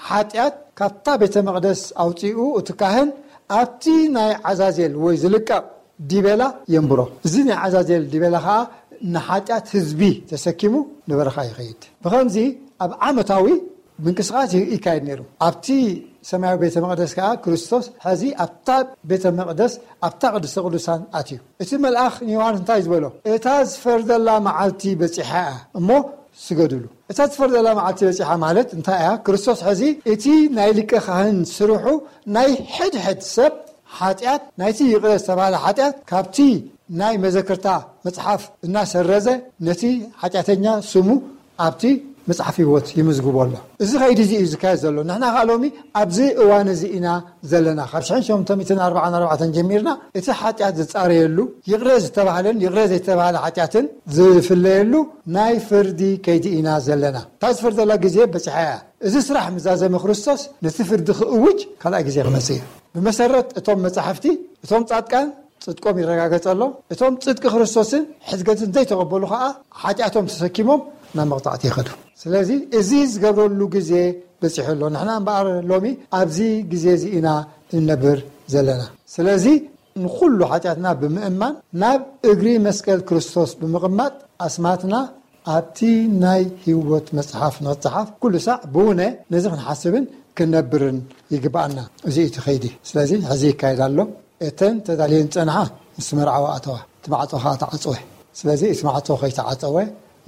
ሓጢኣት ካብታ ቤተ መቕደስ ኣውጺኡ እቲ ካህን ኣብቲ ናይ ዓዛዜል ወይ ዝልቀቕ ዲቤላ የንብሮ። እዚ ናይ ዓዛዜል ዲቤላ ኸዓ ንሓጢኣት ህዝቢ ተሰኪሙ ንበረኻ ይኸይድ። ብኸምዚ ኣብ ዓመታዊ ምንቅስቃስ ይካየድ ነይሩ። ኣብቲ ሰማያዊ ቤተ መቕደስ ከኣ ክርስቶስ ሕዚ ኣብታ ቤተ መቕደስ ኣብታ ቅድስተ ቅዱሳን ኣትዩ። እቲ መልኣኽ ንዮሃንስ እንታይ ዝበሎ? እታ ዝፈርደላ መዓልቲ በጺሓ እያ እሞ ስገድሉ። እታ ዝፈርደላ መዓልቲ በጺሓ ማለት እንታይ እያ? ክርስቶስ ሕዚ እቲ ናይ ሊቀ ካህን ስርሑ ናይ ሕድሕድ ሰብ ሓጢኣት፣ ናይቲ ይቕረ ዝተባህለ ሓጢኣት ካብቲ ናይ መዘክርታ መጽሓፍ እናሰረዘ ነቲ ሓጢኣተኛ ስሙ ኣብቲ መጽሓፍ ህይወት ይምዝግቦ ኣሎ። እዚ ኸይዲ እዚ እዩ ዝካየድ ዘሎ። ንሕና ኸዓ ሎሚ ኣብዚ እዋን እዚ ኢና ዘለና። ካብ ሽሕን ሸሞንተ ሚእትን ኣርባዓን ኣርባዕተን ጀሚርና እቲ ሓጢኣት ዝጻረየሉ፣ ይቕረ ዝተባህለን ይቕረ ዘይተባህለ ሓጢኣትን ዝፍለየሉ ናይ ፍርዲ ከይዲ ኢና ዘለና። እታ ዝፈርደላ ግዜ በጺሓ እያ። እዚ ስራሕ ምዛዘመ ክርስቶስ ነቲ ፍርዲ ክእውጅ ካልኣይ ግዜ ክመጽእ እዩ። ብመሰረት እቶም መጻሕፍቲ፣ እቶም ጻድቃን ጽድቆም ይረጋገጸሎም፣ እቶም ጽድቂ ክርስቶስን ሕድገትን ዘይተቐበሉ ኸኣ ሓጢኣቶም ተሰኪሞም ናብ መቕጻዕቲ ይኸዱ። ስለዚ እዚ ዝገብረሉ ግዜ በጺሑ ኣሎ። ንሕና እምበኣር ሎሚ ኣብዚ ግዜ እዚ ኢና እንነብር ዘለና። ስለዚ ንኹሉ ሓጢኣትና ብምእማን ናብ እግሪ መስቀል ክርስቶስ ብምቕማጥ ኣስማትና ኣብቲ ናይ ህይወት መጽሓፍ ንኽጽሓፍ ኩሉ ሳዕ ብውነ ነዚ ክንሓስብን ክንነብርን ይግብኣና። እዚ እዩ እቲ ኸይዲ። ስለዚ ሕዚ ይካየድ ኣሎ። እተን ተዳልየን ዝጸንሓ ምስ መርዓዊ ኣተዋ፣ እቲ ማዕጾ ኸዓ ተዓጸወ። ስለዚ እቲ ማዕጾ ከይተዓጸወ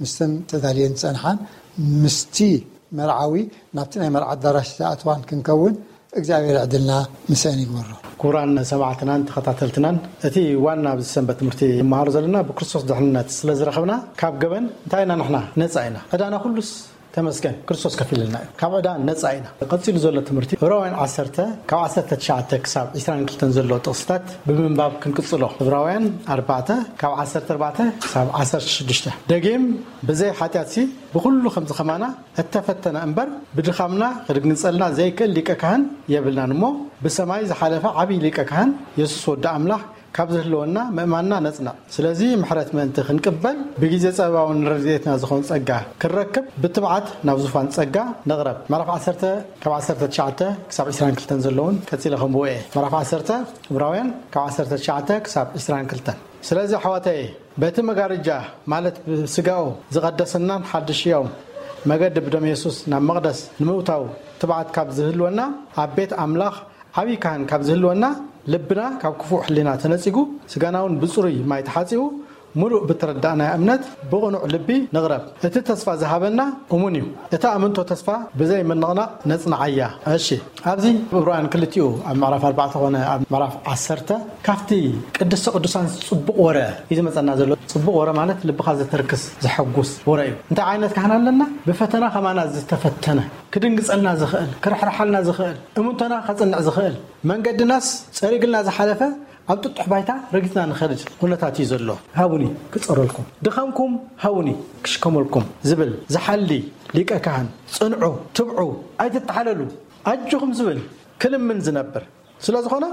ምስተን ተዳልየን ዝጸንሓን ምስቲ መርዓዊ ናብቲ ናይ መርዓ ኣዳራሽ ዝኣትዋን ክንከውን እግዚኣብሔር ዕድልና ምሰን ይግበሮ። ክቡራን ሰማዕትናን ተኸታተልትናን፣ እቲ ዋና ኣብዚ ሰንበት ትምህርቲ ንመሃሮ ዘለና ብክርስቶስ ድሕንነት ስለ ዝረኸብና ካብ ገበን እንታይ ኢና ንሕና ነጻ ኢና። ዕዳና ኩሉስ ተመስገን ክርስቶስ ከፊልልና እዩ። ካብ ዕዳ ነጻ ኢና። ቀጺሉ ዘሎ ትምህርቲ ዕብራውያን ዓሰርተ ካብ ዓሰርተ ትሽዓተ ክሳብ ዕስራን ክልተን ዘሎ ጥቕስታት ብምንባብ ክንቅጽሎ። ዕብራውያን ኣርባዕተ ካብ ዓሰርተ ኣርባዕተ ክሳብ ዓሰርተ ሽዱሽተ። ደጊም ብዘይ ሓጢኣትሲ ብኹሉ ከምዚ ከማና እተፈተነ እምበር ብድኻምና ክድግንጸልና ዘይክእል ሊቀ ካህን የብልናን እሞ ብሰማይ ዝሓለፈ ዓብዪ ሊቀ ካህን የሱስ ወዲ ኣምላኽ ካብ ዝህልወና ምእማንና ነጽንዕ። ስለዚ ምሕረት ምእንቲ ክንቅበል ብግዜ ጸበባውን ረድኤትና ዝኾን ጸጋ ክንረክብ ብትብዓት ናብ ዙፋን ጸጋ ንቕረብ። ምዕራፍ ዓሰርተ ካብ ዓሰርተ ትሽዓተ ክሳብ ዕስራን ክልተን ዘለውን ቀጺለ ከንብቦ እየ። ምዕራፍ ዓሰርተ ዕብራውያን ካብ ዓሰርተ ትሽዓተ ክሳብ ዕስራን ክልተን። ስለዚ ኣሕዋተየ በቲ መጋረጃ ማለት ብስጋኡ ዝቐደሰናን ሓድሽ ያው መገዲ ብደም የሱስ ናብ መቕደስ ንምእታው ትብዓት ካብ ዝህልወና ኣብ ቤት ኣምላኽ ዓብዪ ካህን ካብ ዝህልወና ልብና ካብ ክፉእ ሕሊና ተነጺጉ ስጋና እውን ብጽሩይ ማይ ተሓጺቡ ምሉእ ብተረዳእናያ እምነት ብቕኑዕ ልቢ ንቕረብ። እቲ ተስፋ ዝሃበና እሙን እዩ። እታ እምንቶ ተስፋ ብዘይ ምንቕናቕ ነጽንዓያ። እሺ፣ ኣብዚ ዕብራውያን ክልቲኡ ኣብ ምዕራፍ ኣርባዕተ ኾነ ኣብ ምዕራፍ ዓሰርተ ካብቲ ቅድስተ ቅዱሳን ጽቡቕ ወረ እዩ ዝመጸና ዘሎ። ጽቡቕ ወረ ማለት ልብኻ ዘተርክስ ዘሐጉስ ወረ እዩ። እንታይ ዓይነት ካህን ኣለና? ብፈተና ከማና ዝተፈተነ ክድንግጸልና ዝኽእል ክርሕርሓልና ዝኽእል እምንቶና ከጽንዕ ዝኽእል መንገድናስ ጸሪግልና ዝሓለፈ ኣብ ጥጡሕ ባይታ ረጊጽና ንኸድድ ኩነታት እዩ ዘሎ። ሃቡኒ ክጸረልኩም፣ ድኻምኩም ሃቡኒ ክሽከመልኩም ዝብል ዝሓሊ ሊቀ ካህን ጽንዑ፣ ትብዑ፣ ኣይትተሓለሉ፣ ኣጆኹም ዝብል ክልምን ዝነብር ስለ ዝኾነ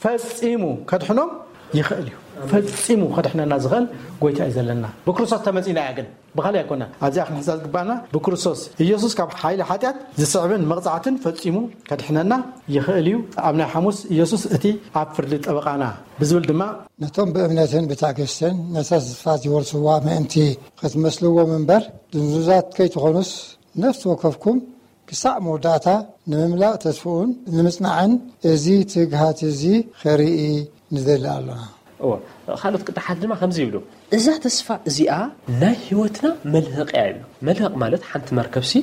ፈጺሙ ከድሕኖም ይኽእል እዩ። ፈጺሙ ከድሕነና ዝኽእል ጎይታ እዩ ዘለና። ብክርስቶስ ተመጺና እያ ግን ብኻልእ ኣይኮነ። ኣብዚኣ ክንሕዛ ዝግባኣና ብክርስቶስ ኢየሱስ ካብ ሓይሊ ሓጢኣት ዝስዕብን መቕጻዕትን ፈጺሙ ከድሕነና ይኽእል እዩ። ኣብ ናይ ሓሙስ ኢየሱስ እቲ ኣብ ፍርዲ ጠበቓና ብዝብል ድማ ነቶም ብእምነትን ብትዕግስትን ነታ ተስፋ ዝወርስዋ ምእንቲ ክትመስልዎም እምበር ድንዙዛት ከይትኾኑስ ነፍሲ ወከፍኩም ክሳዕ መወዳእታ ንምምላእ ተስፍኡን ንምጽናዕን እዚ ትግሃት እዚ ኸርኢ ንደሊ ኣሎና። እዎ፣ ካልኦት ቅዳሓት ድማ ከምዚ ይብሉ። እዛ ተስፋ እዚኣ ናይ ህይወትና መልህቕ እያ ይብሉ። መልህቕ ማለት ሓንቲ መርከብሲ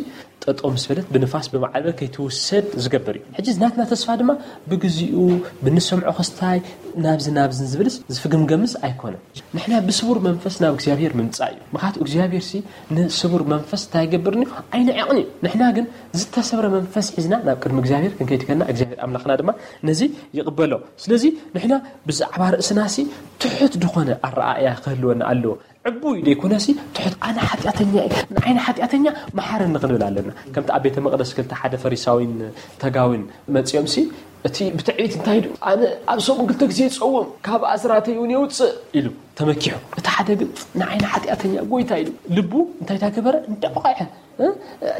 ጠጠው ምስ በለት ብንፋስ ብማዕበል ከይትውሰድ ዝገብር እዩ። ሕጂ ናትና ተስፋ ድማ ብግዚኡ ብንሰምዖ ክስታይ ናብዚ ናብዝን ዝብልስ ዝፍግምገምስ ኣይኮነን። ንሕና ብስቡር መንፈስ ናብ እግዚኣብሔር ምምጻእ እዩ። ምኽንያቱ እግዚኣብሔር ሲ ንስቡር መንፈስ እንታይ ይገብርኒ? ኣይንዕቕን እዩ። ንሕና ግን ዝተሰብረ መንፈስ ሒዝና ናብ ቅድሚ እግዚኣብሔር ክንከይድ ከና እግዚኣብሔር ኣምላኽና ድማ ነዚ ይቕበሎ። ስለዚ ንሕና ብዛዕባ ርእስና ሲ ትሑት ዝኾነ ኣረኣእያ ክህልወና ኣለዎ። ዕቡይ ደይኮነሲ ትሑት ኣነ ሓጢኣተኛ እየ፣ ንዓይ ንሓጢኣተኛ መሓረኒ ክንብል ኣለና። ከምቲ ኣብ ቤተ መቕደስ ክልተ ሓደ ፈሪሳዊን ተጋዊን መጺኦም ሲ እቲ ብትዕቢት እንታይ ኢሉ? ኣነ ኣብ ሰሙን ክልተ ግዜ ይጸውም፣ ካብ ኣስራተይ እውን የውጽእ ኢሉ ተመኪሑ። እቲ ሓደ ግን ንዓይ ንሓጢኣተኛ ጎይታ ኢሉ ልቡ እንታይ ታገበረ? እንዳቆቐዐ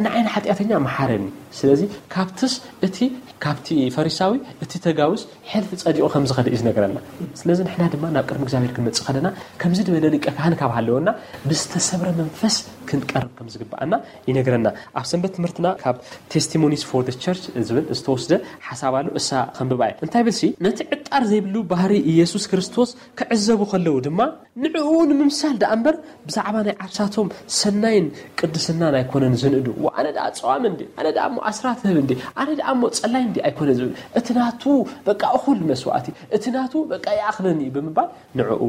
ንዓይ ንሓጢኣተኛ መሓረኒ። ስለዚ ካብትስ እቲ ካብቲ ፈሪሳዊ እቲ ተጋውስ ሕልፊ ጸዲቑ ከም ዝኸደ እዩ ዝነግረና። ስለዚ ንሕና ድማ ናብ ቅድሚ እግዚኣብሔር ክንመጽእ ከለና ከምዚ ዝበለ ሊቀ ካህን ካብ ሃለወና ብዝተሰብረ መንፈስ ክንቀርብ ከም ዝግብኣና ይነግረና። ኣብ ሰንበት ትምህርትና ካብ Testimonies for the Church ዝብል ዝተወስደ ሓሳብ ኣሎ። እሳ ከንብባ እየ። እንታይ ብልሲ ነቲ ዕጣር ዘይብሉ ባህሪ ኢየሱስ ክርስቶስ ክዕዘቡ ከለዉ ድማ ንዕኡ ንምምሳል ደኣ እምበር ብዛዕባ ናይ ዓርሳቶም ሰናይን ቅድስናን ኣይኮነን ዝንእዱ። ዋ ኣነ ደኣ ጸዋም እንዲ፣ ኣነ ደኣ እሞ ኣስራት ህብ እንዲ፣ ኣነ ደኣ እሞ ጸላይ እንዲ ኣይኮነ ዝብል። እቲ ናቱ በቃ እኹል መስዋእቲ፣ እቲ ናቱ በቃ ይኣኽለኒ እዩ ብምባል ንዕኡ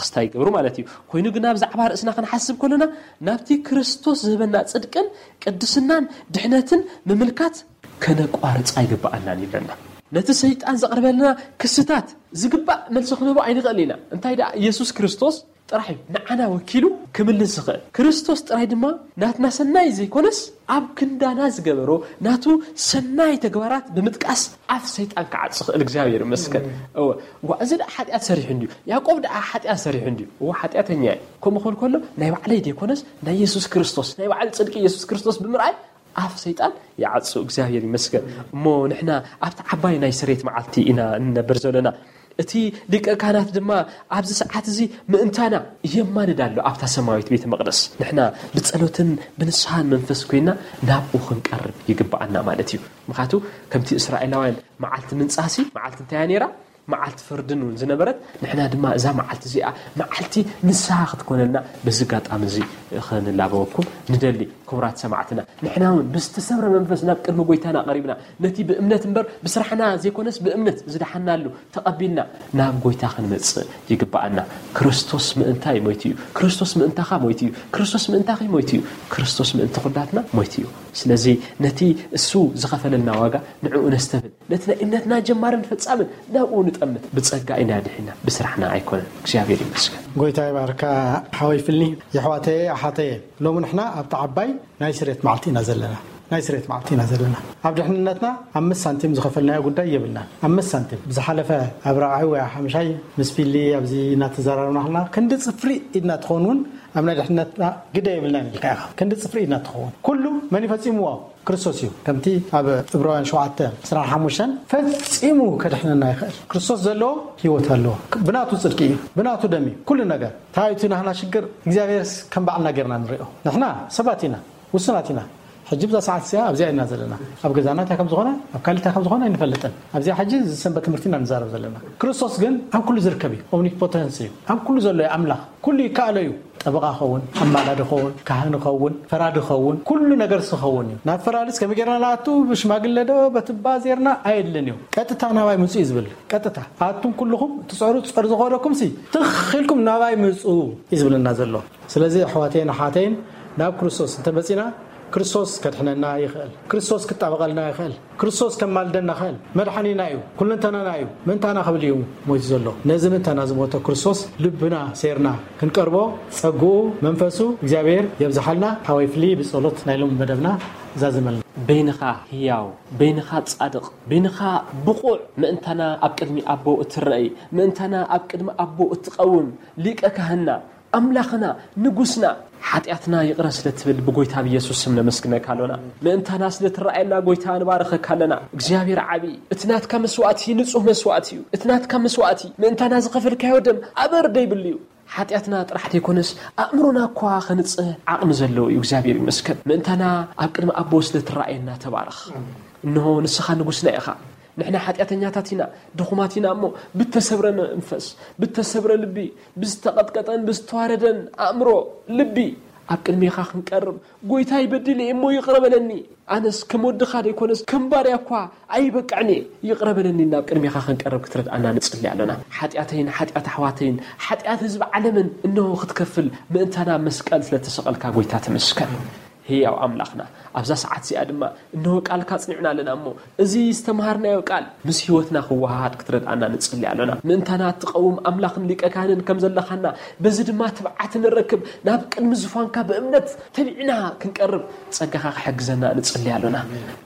ክስታይ ይገብሩ ማለት እዩ። ኮይኑ ግና ብዛዕባ ርእስና ክንሓስብ ከለና ናብቲ ክርስቶስ ዝህበና ጽድቅን ቅድስናን ድሕነትን ምምልካት ከነቋርጽ ኣይግብኣናን ይብለና። ነቲ ሰይጣን ዘቕርበልና ክስታት ዝግባእ መልሲ ክንህቦ ኣይንኽእል ኢና። እንታይ ደኣ ኢየሱስ ክርስቶስ ጥራሕ እዩ ንዓና ወኪሉ ክምልስ ዝኽእል። ክርስቶስ ጥራይ ድማ ናትና ሰናይ ዘይኮነስ ኣብ ክንዳና ዝገበሮ ናቱ ሰናይ ተግባራት ብምጥቃስ ኣፍ ሰይጣን ክዓጽ ዝኽእል እግዚኣብሔር ይመስገን። እወ፣ ዋ፣ እዚ ደኣ ሓጢኣት ሰሪሑ እንድዩ፣ ያዕቆብ ደኣ ሓጢኣት ሰሪሑ እንድዩ። እወ፣ ሓጢኣተኛ እየ። ከምኡ ክብል ከሎ ናይ ባዕለይ ዘይኮነስ ናይ ኢየሱስ ክርስቶስ፣ ናይ ባዕሉ ጽድቂ ኢየሱስ ክርስቶስ ብምርኣይ ኣፍ ሰይጣን ይዓጹ። እግዚኣብሔር ይመስገን። እሞ ንሕና ኣብቲ ዓባይ ናይ ስሬት መዓልቲ ኢና እንነብር ዘለና። እቲ ሊቀ ካህናት ድማ ኣብዚ ሰዓት እዚ ምእንታና የማልድ ኣሎ ኣብታ ሰማያዊት ቤተ መቕደስ። ንሕና ብጸሎትን ብንስሓን መንፈስ ኮይና ናብኡ ክንቀርብ ይግብኣና ማለት እዩ። ምኽንያቱ ከምቲ እስራኤላውያን መዓልቲ ምንጻሲ መዓልቲ እንታይ እያ ነይራ? መዓልቲ ፍርድን እውን ዝነበረት፣ ንሕና ድማ እዛ መዓልቲ እዚኣ መዓልቲ ንስሓ ክትኮነልና በዚ ኣጋጣሚ እዚ ክንላበወኩም ንደሊ። ክቡራት ሰማዕትና፣ ንሕና እውን ብዝተሰብረ መንፈስ ናብ ቅድሚ ጎይታና ቀሪብና፣ ነቲ ብእምነት እምበር ብስራሕና ዘይኮነስ ብእምነት ዝደሓናሉ ተቐቢልና ናብ ጎይታ ክንመጽእ ይግብኣና። ክርስቶስ ምእንታይ ሞይቱ እዩ። ክርስቶስ ምእንታኻ ሞይቱ እዩ። ክርስቶስ ምእንታኺ ሞይቱ እዩ። ክርስቶስ ምእንቲ ኩላትና ሞይቱ እዩ። ስለዚ ነቲ እሱ ዝኸፈለልና ዋጋ ንዕኡ ነስተብህል። ነቲ ናይ እምነትና ጀማርን ፈጻምን ናብኡ ንጠምት። ብጸጋ ኢና ድሒና፣ ብስራሕና ኣይኮነን። እግዚኣብሔር ይመስገን። ጎይታ ይባርካ ሓወይ ፍልኒ። የሕዋተየ ኣሓተየ፣ ሎሚ ንሕና ኣብቲ ዓባይ ናይ ስሬት መዓልቲ ኢና ዘለና። ናይ ስሬት መዓልቲ ኢና ዘለና። ኣብ ድሕንነትና ኣምስት ሳንቲም ዝኸፈልናዮ ጉዳይ የብልናን። ኣምስት ሳንቲም ብዝሓለፈ ኣብ ራብዓይ ወይ ሓምሻይ ምስ ፊሊ ኣብዚ እናተዘራረብና ከለና ክንዲ ፅፍሪ ኢድና ትኸውን እውን ኣብ ናይ ድሕንነትና ግደ የብልናን ኢልካ ኢኻ። ክንዲ ፅፍሪ ኢድና ትኸውን ኩሉ መን ይፈፂምዎ? ክርስቶስ እዩ። ከምቲ ኣብ ዕብራውያን ሸውዓተ ዕስራን ሓሙሽተን ፈፂሙ ከድሕነና ይኽእል። ክርስቶስ ዘለዎ ህይወት ኣለዎ። ብናቱ ፅድቂ እዩ፣ ብናቱ ደም እዩ ኩሉ ነገር። እንታይ እቲ ናህና ሽግር እግዚኣብሔርስ ከም ባዕልና ጌርና ንሪኦ። ንሕና ሰባት ኢና፣ ውሱናት ኢና። ሕጂ ብዛ ሰዓት እዚኣ ኣብዚኣ ኢና ዘለና። ኣብ ገዛና እንታይ ከም ዝኾነ፣ ኣብ ካልእ እንታይ ከም ዝኾነ ኣይንፈልጥን። ኣብዚኣ ሕጂ ዝሰንበት ትምህርቲ ኢና ንዛረብ ዘለና። ክርስቶስ ግን ኣብ ኩሉ ዝርከብ እዩ። ኦምኒፖተንስ እዩ። ኣብ ኩሉ ዘሎ እዩ ኣምላኽ። ኩሉ ይከኣሎ እዩ። ጠበቓ ኸውን፣ ኣማላዲ ኸውን፣ ካህን ኸውን፣ ፈራዲ ኸውን፣ ኩሉ ነገር ዝኸውን እዩ። ናብ ፈራዲስ ከመይ ጌርና ንኣቱ? ብሽማግለ ዶ በትባ ዜርና? ኣየድልን እዩ። ቀጥታ ናባይ ምፁ እዩ ዝብል። ቀጥታ ኣቱም ኩልኹም ትፀሩ ፀር ዝኾነኩም ሲ ትኽ ኢልኩም ናባይ ምፁ እዩ ዝብለና ዘሎ። ስለዚ ኣሕዋተይን ኣሓተይን ናብ ክርስቶስ እንተመፂና ክርስቶስ ከድሕነና ይኽእል። ክርስቶስ ክጣበቐልና ይኽእል። ክርስቶስ ከማልደና ይኽእል። መድሓኒና እዩ። ኩለንተናና እዩ። ምእንታና ክብል እዩ ሞይቱ ዘሎ። ነዚ ምእንታና ዝሞተ ክርስቶስ ልብና ሴርና ክንቀርቦ ጸግኡ መንፈሱ እግዚኣብሔር የብዝሓልና። ሓወይ ፍሊ ብጸሎት ናይ ሎሚ መደብና ዛዝመልና። በይንኻ ህያው፣ በይንኻ ጻድቕ፣ በይንኻ ብቑዕ ምእንታና ኣብ ቅድሚ ኣቦ እትረኣይ፣ ምእንታና ኣብ ቅድሚ ኣቦ እትቐውም ሊቀ ካህንና ኣምላኽና ንጉስና ሓጢኣትና ይቕረ ስለ ትብል ብጎይታ ብኢየሱስ ስም ነመስግነካ ኣሎና። ምእንታና ስለ ትረኣየና ጎይታ ንባርኸካ ኣለና። እግዚኣብሔር ዓቢ፣ እቲ ናትካ መስዋእቲ ንጹህ መስዋእቲ እዩ። እቲ ናትካ መስዋእቲ ምእንታና ዝኸፈልካዮ ደም ኣበር ደይብሉ እዩ። ሓጢኣትና ጥራሕ ዘይኮነስ ኣእምሮና እኳ ኸንጽህ ዓቕሚ ዘለዎ እዩ። እግዚኣብሔር ይመስገን። ምእንታና ኣብ ቅድሚ ኣቦ ስለ ትረኣየና ተባረኽ። እንሆ ንስኻ ንጉስና ኢኻ። ንሕና ሓጢኣተኛታት ኢና፣ ድኹማት ኢና እሞ ብተሰብረ መንፈስ፣ ብተሰብረ ልቢ፣ ብዝተቐጥቀጠን ብዝተዋረደን ኣእምሮ፣ ልቢ ኣብ ቅድሜኻ ክንቀርብ፣ ጎይታይ በዲለ እየ እሞ ይቕረ በለኒ። ኣነስ ከም ወድኻ ደይኮነስ ከም ባርያ እኳ ኣይበቅዕን እየ፣ ይቕረ በለኒ። ናብ ቅድሜኻ ክንቀርብ ክትረድኣና ንጽሊ ኣሎና። ሓጢኣተይን ሓጢኣት ኣሕዋተይን ሓጢኣት ህዝቢ ዓለምን እንሆ ክትከፍል ምእንታና መስቀል ስለ ተሰቐልካ ጎይታ ተመስገን። ህያው ኣምላኽና ኣብዛ ሰዓት እዚኣ ድማ እንሆ ቃልካ ኣጽኒዕና ኣለና እሞ እዚ ዝተምሃርናዮ ቃል ምስ ህይወትና ክወሃሃድ ክትረድኣና ንጽሊ ኣሎና። ምእንታና እትቐውም ኣምላኽን ሊቀ ካህንን ከም ዘለኻና በዚ ድማ ትብዓት ንረክብ። ናብ ቅድሚ ዝፋንካ ብእምነት ተቢዕና ክንቀርብ ጸጋኻ ክሕግዘና ንጽሊ ኣሎና።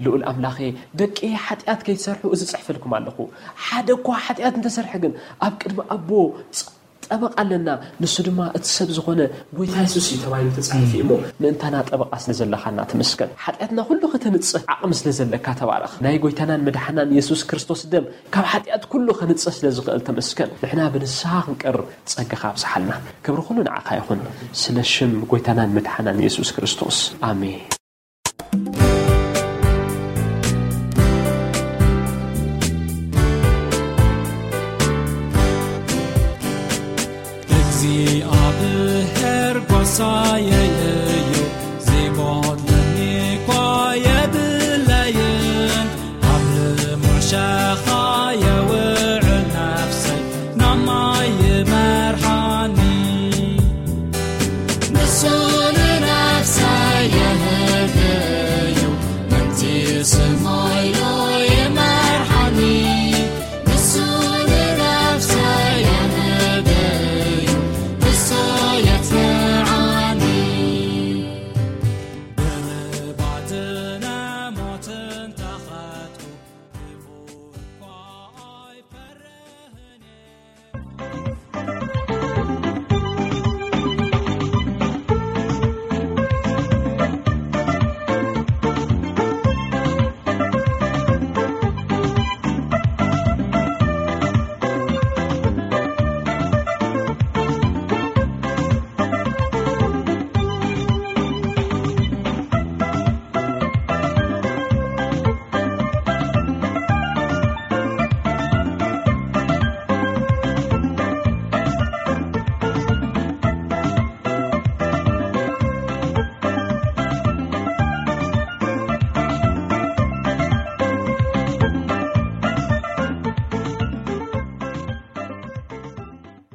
ልኡል ኣምላኸ ደቂ ሓጢኣት ከይትሰርሑ እዚ ጽሕፈልኩም ኣለኹ። ሓደ እኳ ሓጢኣት እንተሰርሐ ግን ኣብ ቅድሚ ኣቦ ጠበቃ ኣለና። ንሱ ድማ እቲ ሰብ ዝኾነ ጎይታ የሱስ እዩ ተባሂሉ ተጻሒፉ እዩ እሞ ምእንታና ጠበቃ ስለ ዘለኻና ተመስገን። ሓጢኣትና ኩሉ ከተንጽህ ዓቕሚ ስለ ዘለካ ተባረኽ። ናይ ጎይታናን መድሓናን የሱስ ክርስቶስ ደም ካብ ሓጢኣት ኩሉ ከንጽህ ስለ ዝኽእል ተመስገን። ንሕና ብንስሓ ክንቀርብ ጸጋኻ ኣብዝሓልና። ክብሪ ኩሉ ንዓኻ ይኹን። ስለ ሽም ጎይታናን መድሓናን የሱስ ክርስቶስ ኣሜን። እግዚኣብሔር ጓሳየየ